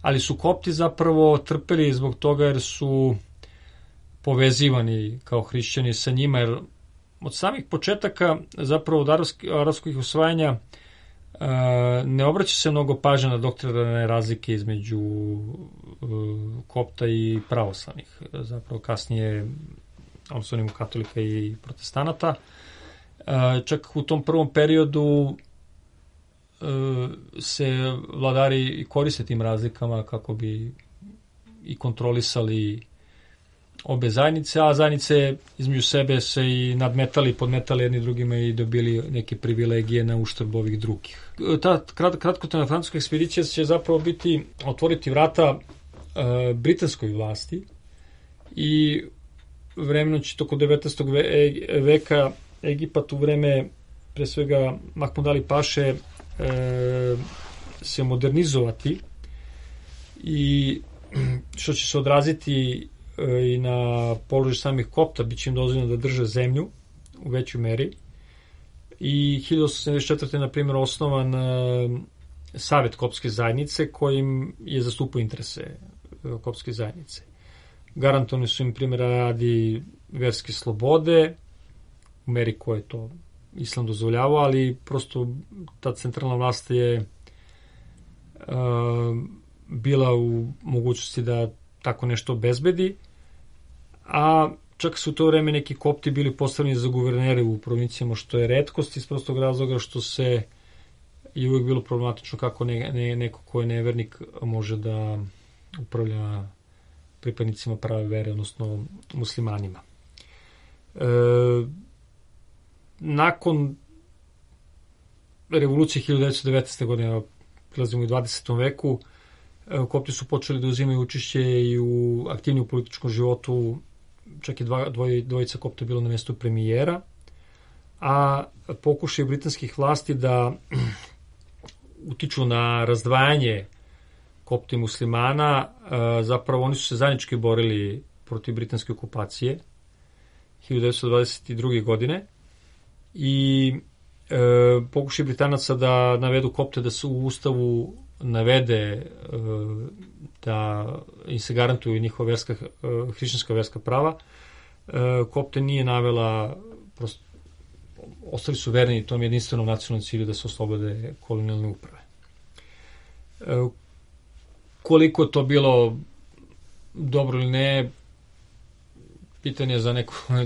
S4: ali su kopti zapravo trpeli zbog toga jer su povezivani kao hrišćani sa njima, jer od samih početaka zapravo od arapskih osvajanja ne obraća se mnogo pažnje na doktrinarne razlike između kopta i pravoslavnih. Zapravo kasnije odnosno katolika i protestanata. Čak u tom prvom periodu se vladari i koriste tim razlikama kako bi i kontrolisali obe zajednice, a zajednice između sebe se i nadmetali, podmetali jedni drugima i dobili neke privilegije na uštrb ovih drugih. Ta kratkotrajna francuska ekspedicija će zapravo otvoriti vrata britanskoj vlasti i vremenom će toko 19. veka Egipat u vreme pre svega Mahmud Ali Paše se modernizovati i što će se odraziti i na položaj samih kopta, bit će im dozvoljeno da drže zemlju u većoj meri. I 1874. na primjer osnovan Savet kopske zajednice kojim je zastupao interese kopske zajednice. Garantovani su im primjera radi verske slobode u meri koje to islam dozvoljavao, ali prosto ta centralna vlast je bila u mogućnosti da tako nešto obezbedi, a čak su u to vreme neki kopti bili postavljeni za guvernere u provincijama, što je retkost iz prostog razloga što se je uvijek bilo problematično kako neko ko je nevernik može da upravlja pripadnicima prave vere, odnosno muslimanima. Nakon revolucije 1919. godine, prilazimo u 20. veku, kopti su počeli da uzimaju učešće i u aktivniju političkom životu, čak i dvojica kopta bilo na mjestu premijera, a pokušaj britanskih vlasti da utiču na razdvajanje kopta i muslimana, zapravo oni su se zajednički borili protiv britanske okupacije 1922. godine i pokušaj Britanaca da navedu kopte da se u ustavu navede da im se garantuju njihova hrišćanska verska prava. Kopte nije navela, prosto ostali su verni tom jedinstvenom nacionalnom cilju da se oslobode kolonijalne uprave. Koliko je to bilo dobro ili ne, pitanje za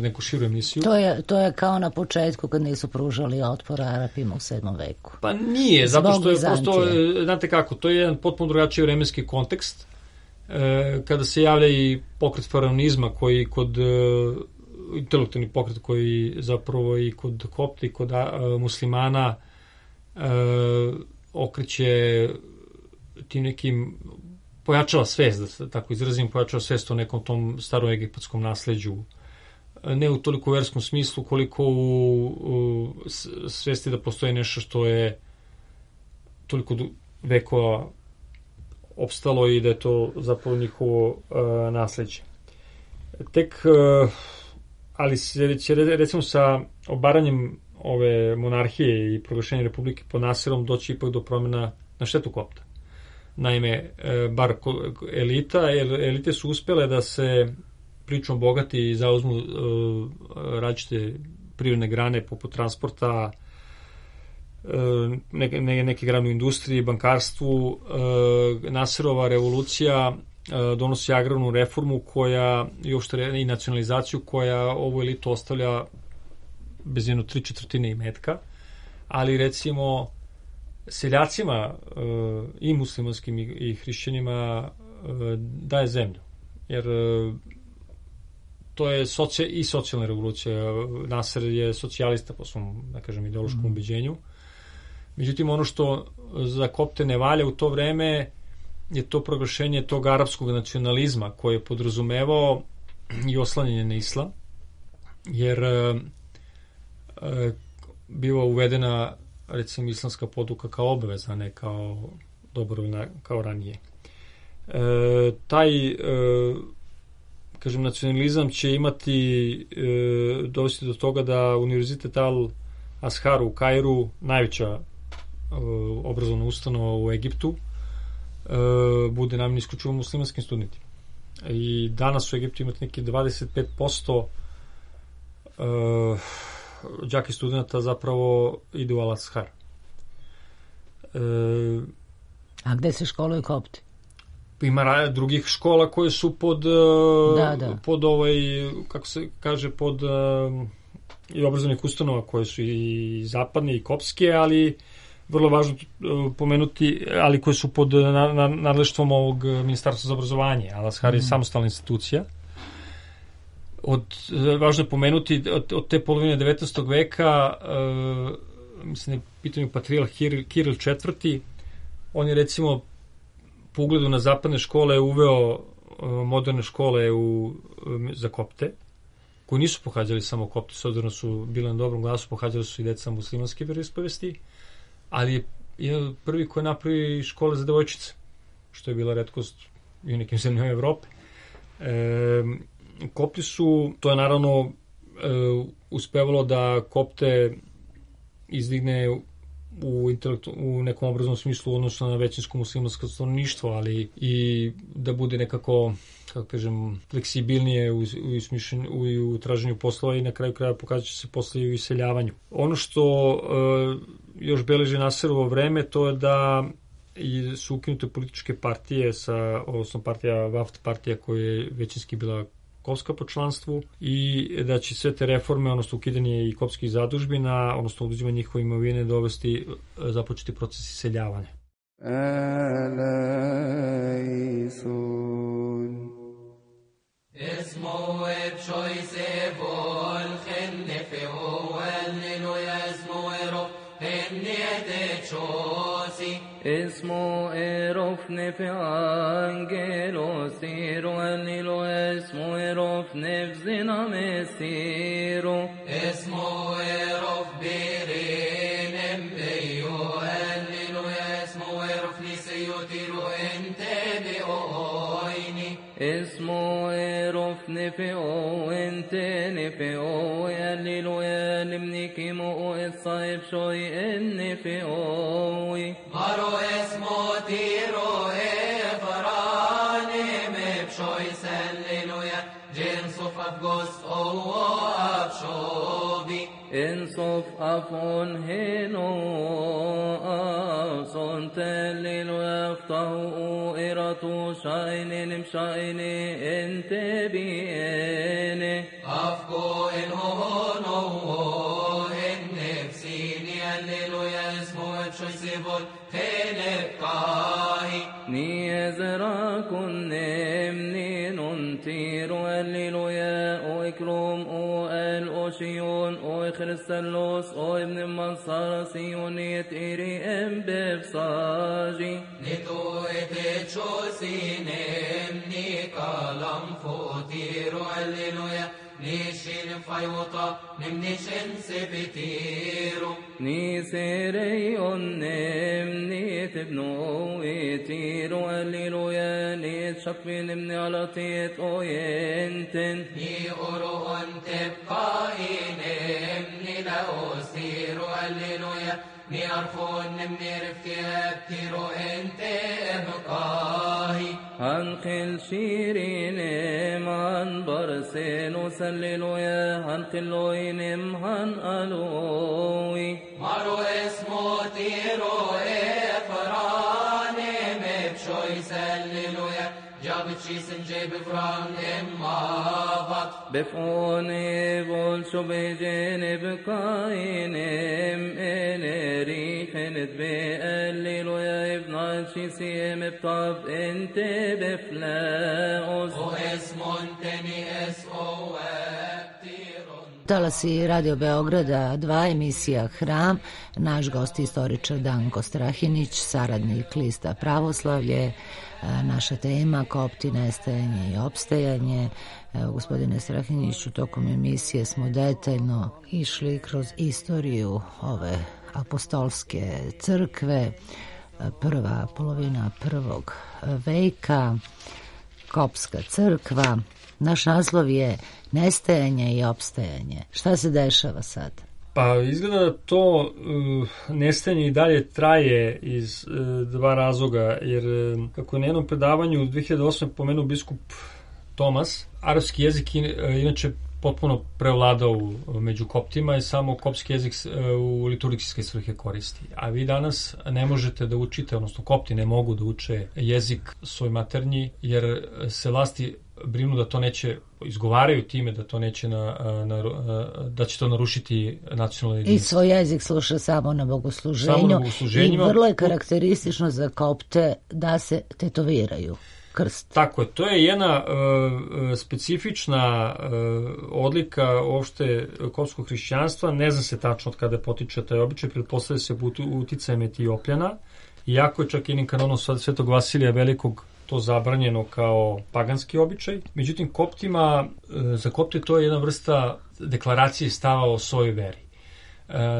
S4: neku širu emisiju.
S1: To je kao na početku kad nisu pružali otpor Arapima u 7. veku.
S4: Pa nije, zato što je prosto, znate kako, to je jedan potpuno drugačiji vremenski kontekst. Kada se javlja i pokret faraonizma koji kod intelektualni pokret koji zapravo i kod kopta i kod muslimana okreće tim nekim, pojačava svest, da se tako izrazim, pojačava svest o nekom tom staroegipatskom nasleđu. Ne u toliko verskom smislu, koliko u svesti da postoji nešto što je toliko vekova opstalo i da je to zapravo njihovo nasleđe. Tek, ali će recimo sa obaranjem ove monarhije i proglašenja republike pod Nasirom doći ipak do promjena na štetu kopta. Naime, bar elite su uspjele da se pričom bogati i zauzmu različite privredne grane poput transporta, neke grane u industriji, bankarstvu. Nasirova revolucija donosi agrarnu reformu koja i nacionalizaciju koja ovu elitu ostavlja bez jedno 3/4 imetka, ali recimo seljacima i muslimanskim i hrišćanima daje zemlju. Jer to je i socijalna revolucija. Nasir je socijalista po svom, da kažem, ideološkom ubeđenju. Međutim, ono što za kopte ne valja u to vreme je to proglašenje tog arapskog nacionalizma koje je podrazumevao i oslanjanje na islam, jer biva uvedena recimo islamska poduka kao obaveza, ne kao dobrovoljna kao ranije. Taj kažem, nacionalizam će imati dovesti do toga da Univerzitet Al-Azhar u Kairu, najveća obrazovna ustanova u Egiptu, bude namenjena isključivo muslimanskim studentima. I danas u Egiptu imate neki 25% đaka i studenta zapravo ide u Al-Azhar.
S1: A gde se školuju kopti?
S4: Ima drugih škola koje su pod pod kako se kaže, pod i obrazovnih ustanova koje su i zapadne i kopske, ali vrlo važno pomenuti, ali koje su pod nadleštvom ovog Ministarstva za obrazovanje. Al-Azhar je samostalna institucija. Važno je pomenuti od te polovine 19. veka, mislim da je pitanju patrijarh Kiril IV. On je recimo po ugledu na zapadne škole uveo moderne škole za kopte, koji nisu pohađali samo kopti, s obzirom su bili na dobrom glasu, pohađali su i deca muslimanske vjeroispovesti, ali je prvi koji je napravio škole za devojčice, što je bila retkost i u nekim zemljama Evrope. Kopti su, to je naravno uspevalo da kopte izdigne u nekom obrazovnom smislu odnosno na većinsko muslimansko stanovništvo, ali i da bude nekako, kako kažem, fleksibilnije u traženju poslova i na kraju kraja pokazat će se posle i u iseljavanju. Ono što još beleži Nasirovo vreme, to je da su ukinute političke partije, odnosno partija Waft partija koja je većinski bila kopska po članstvu, i da će sve te reforme, odnosno ukidanje i kopskih zadužbina, odnosno oduzimanje njihove imovine, započeti proces iseljavanja.
S5: اسمو ارفن في انجلو سيرو انيلو اسمو ارفن في زنا مسيرو اسمو ارف بيرين امبيو انيلو اسمو ارف نسيوتيرو انت بأويني
S6: اسمه يرف نفقه انت نفقه هللويا لمنيكي مو الصايب شوي نفقه
S5: مارو اسمه تيرو فراني مبشوي سللويا جنسوف أفقس أو أبشوبي
S6: انصف أفون هنو أصون تلل ويفتحو إراتو شاينين مشايني انت بيني
S5: أفقو إن هونو إن نفسيني هللويا اسمه بشوي سيبون تلقاهي
S6: نيزرا كنمني ننتير هللويا او اكرم او الأوشيون او خريستالوس او ابن منصار سيونيت إيري ام بفصاجي
S5: نتو اتشو سينمني كلام فوتيرو هللويا نيشين فايوطا نمنيشن سبتيرو
S6: نيسيريون نمني تبنو ويتيرو هللويا نيتشقفي نمني على تيت او ينتن
S5: ني أورون تبقاي نمني لأوسيرو هللويا ني أرفون نمني رفتي أبتيرو انت ابقاهي
S6: هنقل شيرين عن برسين وسللويا هنقلوين هنقلوي
S5: مارو اسمو تيرو فراني مبشوي سللويا جابت شي سنجي بفران إمابط
S6: بفوني بولشو بيجين بقاينم إن ريحنت بقللويا ابن شي سيم بطب انت بفلاوس
S5: واسمو انتني اسقو وابتيرون
S1: Talasi Radio Beograda 2, emisija Hram, naš gost istoričar Danko Strahinić, saradnik lista Pravoslavlje, naša tema Kopti, nestajanje i opstajanje. Gospodine Strahiniću, tokom emisije smo detaljno išli kroz istoriju ove apostolske crkve, prva polovina prvog veka, Kopska crkva. Naš naslov je nestajanje i opstajanje. Šta se dešava sad?
S4: Pa izgleda da to nestajanje i dalje traje iz dva razloga, jer kako je na jednom predavanju 2008. pomenuo biskup Tomas, arapski jezik inače potpuno prevladao među koptima i samo kopski jezik u liturgijske svrhe koristi. A vi danas ne možete da učite, odnosno kopti ne mogu da uče jezik svoj maternji, jer se vlasti brinu da to neće, izgovaraju time da to neće da će to narušiti nacionalno jedinstvo.
S1: I svoj jezik sluša samo na bogosluženju i vrlo je karakteristično za kopte da se tetoviraju krst.
S4: Tako je, to je jedna specifična odlika uopšte kopskog hrišćanstva, ne zna se tačno od kada potiče taj običaj, pretpostavlja se uticajem Etiopljana, iako je čak jednim kanonom Svetog Vasilija Velikog to zabranjeno kao paganski običaj. Međutim, koptima, za kopte to je jedna vrsta deklaracije stava o svojoj veri.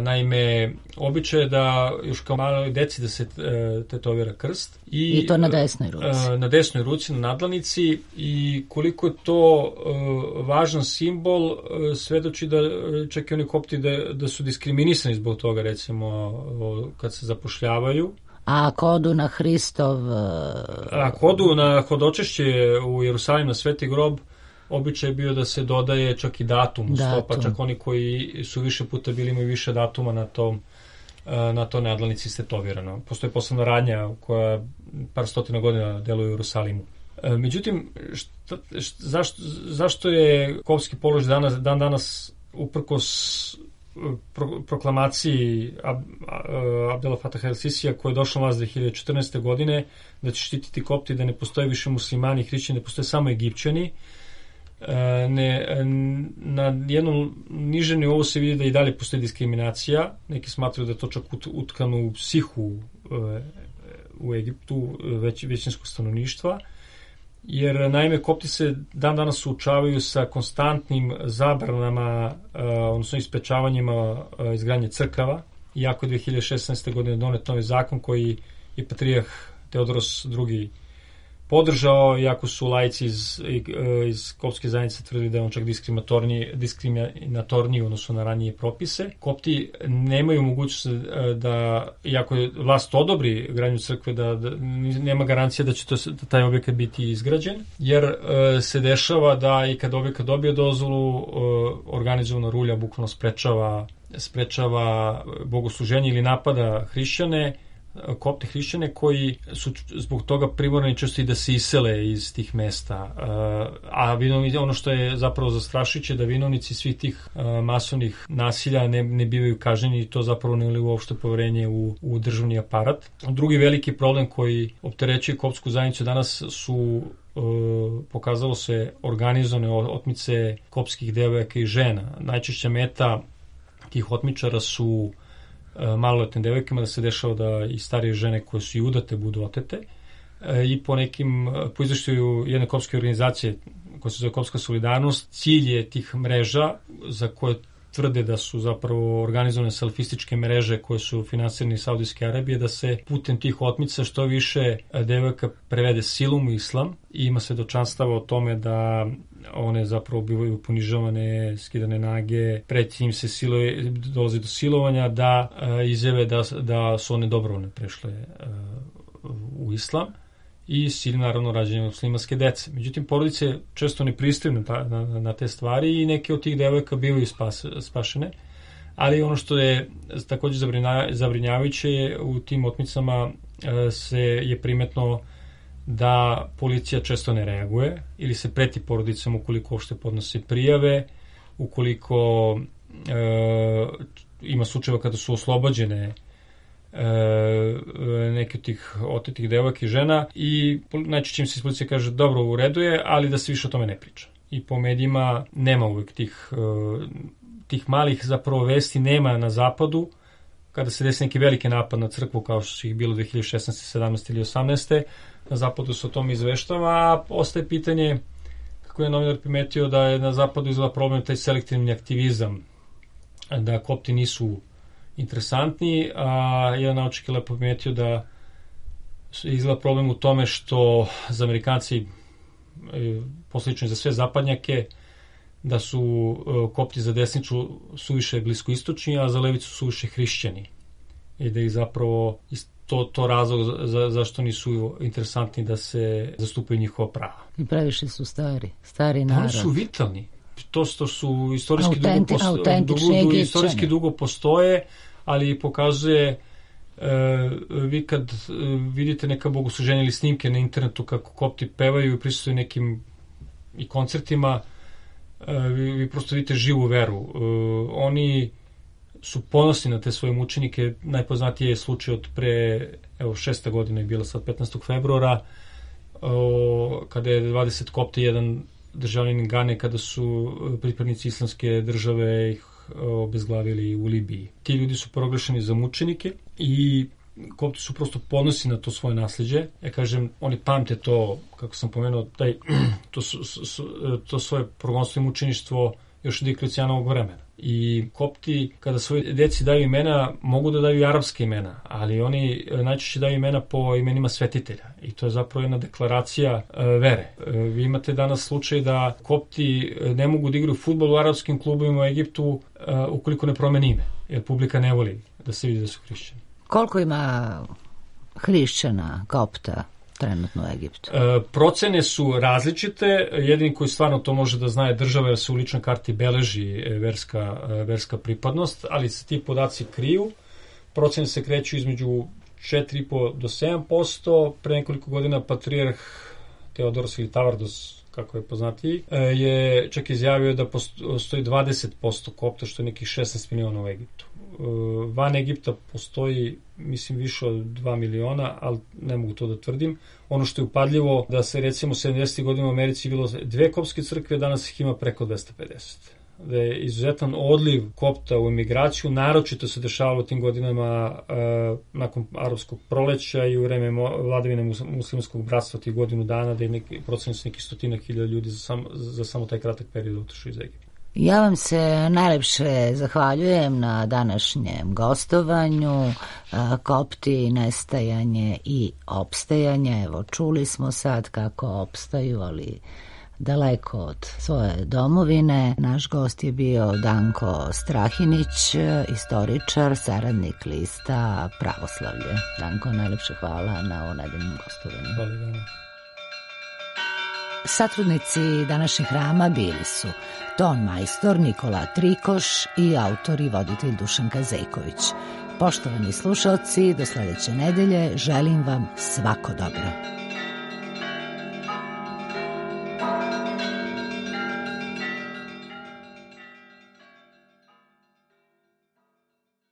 S4: Naime, običaj je da još kao maloj deci da se tetovira krst.
S1: I to na desnoj ruci.
S4: Na desnoj ruci, na nadlanici, i koliko je to važan simbol, svedoči da čak i oni kopti da su diskriminisani zbog toga, recimo, kad se zapošljavaju.
S1: A ako odu na Hristov...
S4: Ako odu na hodočešće u Jerusalim na Sveti grob, običaj je bio da se dodaje čak i datum uz to, pa čak oni koji su više puta bili imaju više datuma na to nadlanici stetovirano. Postoji posebna radnja koja par stotina godina deluje u Jerusalimu. Međutim, zašto je kopski položaj dan danas uprkos proklamaciji Abdela Fataha el-Sisija koja je došla na vlast 2014. godine da će štititi kopti, da ne postoje više muslimani i hrišćani, da postoje samo Egipćani. Na jednom nižem nivou se vidi da i dalje postoji diskriminacija. Neki smatraju da je to čak utkano u psihu u Egiptu većinskog stanovništva, jer naime kopti se dan danas suočavaju sa konstantnim zabranama, odnosno isprečavanjima izgradnje crkava, iako je 2016. godine donet novi zakon koji je Patrijah Teodoros II podržao, iako su laici iz koptske zajednice tvrdili da je on čak diskriminatorniji odnosno na ranije propise. Kopti nemaju mogućnost da, iako je vlast odobri gradnju crkve, da nema garancija da će taj objekat biti izgrađen, jer se dešava da i kad objekat dobije dozvolu, organizovana rulja bukvalno sprečava bogosluženje ili napada hrišćane, kopte hrišćane koji su zbog toga primorani često i da se isele iz tih mesta. A ono što je zapravo zastrašujuće da vinovnici svih tih masovnih nasilja ne bivaju kažnjeni i to zapravo ne uli uopšte poverenje u državni aparat. Drugi veliki problem koji opterećuje koptsku zajednicu danas su pokazalo se organizovane otmice koptskih devojaka i žena. Najčešća meta tih otmičara su maloletnim devojkama, da se dešava da i starije žene koje su i udate budu otete i po izveštaju jedne koptske organizacije koja se zove Koptska solidarnost, cilj je tih mreža za koje tvrde da su zapravo organizovane salafističke mreže koje su finansirane iz Saudijske Arabije, da se putem tih otmica što više devojka prevede silom u islam i ima svedočanstava o tome da one zapravo bivaju ponižavane, skidane nage, preti im se dolazi do silovanja, da izjave da su one dobrovoljno prešle u islam i s ciljem naravno rađanja muslimanske dece. Međutim, porodice često ne pristaju na te stvari i neke od tih devojaka bivaju spašene, ali ono što je takođe zabrinjavajuće je u tim otmicama je primetno da policija često ne reaguje ili se preti porodicama ukoliko uopšte podnose prijave, ukoliko ima slučajeva kada su oslobođene neke od tih otetih devojaka i žena i najčešće im se iz policije kaže dobro, u redu je, ali da se više o tome ne priča. I po medijima nema uvek tih malih zapravo vesti, nema na zapadu kada se desi neki veliki napad na crkvu kao što su ih bilo 2016. 17. ili 18. Na zapadu se o tome izveštava, a ostaje pitanje, kako je novinar primetio, da je na zapadu izgleda problem taj selektivni aktivizam, da kopti nisu interesantni, a jedan naučnik je lepo primetio da izgleda problem u tome što za Amerikanci, poslično za sve zapadnjake, da su kopti za desnicu suviše bliskoistočni, a za levicu suviše hrišćani. I da ih zapravo to razlog zašto nisu interesantni da se zastupaju njihova prava.
S1: I previše su stari narod.
S4: Oni su vitalni. To što su istorijski dugo postoje, ali pokazuje vi kad vidite neka bogosluženja ili snimke na internetu kako kopti pevaju i prisustuju nekim i koncertima, vi prosto vidite živu veru. Oni su ponosni na te svoje mučenike. Najpoznatiji je slučaj od pre 6. godine je bila sad 15. februara kada je 20 kopta i jedan državljanin Gane, kada su pripadnici islamske države ih obezglavili u Libiji. Ti ljudi su proglašeni za mučenike i kopti su prosto ponosni na to svoje nasleđe. Ja kažem, oni pamte to, kako sam pomenuo, to svoje progonstvo i mučeništvo još od Dioklecijanovog vremena. I kopti, kada svoje deci daju imena, mogu da daju i arapske imena, ali oni najčešće daju imena po imenima svetitelja. I to je zapravo jedna deklaracija vere. Vi imate danas slučaj da kopti ne mogu da igraju fudbal u arapskim klubovima u Egiptu ukoliko ne promeni ime, jer publika ne voli da se vidi da su hrišćani.
S1: Koliko ima hrišćana, kopta trenutno u Egiptu?
S4: Procene su različite. Jedini koji stvarno to može da zna je država, jer se u ličnoj karti beleži verska pripadnost, ali se ti podaci kriju. Procene se kreću između 4,5 do 7%. Pre nekoliko godina patrijarh Teodoros ili Tavardos, kako je poznatiji, je čak izjavio da postoji 20% kopta, što je nekih 16 miliona u Egiptu. Van Egipta postoji, mislim, više od 2 miliona, ali ne mogu to da tvrdim. Ono što je upadljivo, da se recimo 70. godina u Americi bilo 2 koptske crkve, danas ih ima preko 250. Da je izuzetan odliv kopta u emigraciju, naročito se dešavalo u tim godinama nakon arapskog proleća i u vreme vladavine muslimanskog bratstva tih godinu dana, da je procenio se neki 100.000 ljudi za samo taj kratak period otišao iz Egipta.
S1: Ja vam se najlepše zahvaljujem na današnjem gostovanju. Kopti, nestajanje i opstajanje. Evo, čuli smo sad kako opstaju, ali daleko od svoje domovine. Naš gost je bio Danko Strahinić, istoričar, saradnik lista Pravoslavlje. Danko, najlepše hvala na ovo nedeljnom gostovanju.
S4: Hvala.
S1: Satrudnici današnjeg hrama bili su ton majstor Nikola Trikoš i autor i voditelj Dušanka Zejković. Poštovani slušalci, do sledeće nedelje želim vam svako dobro.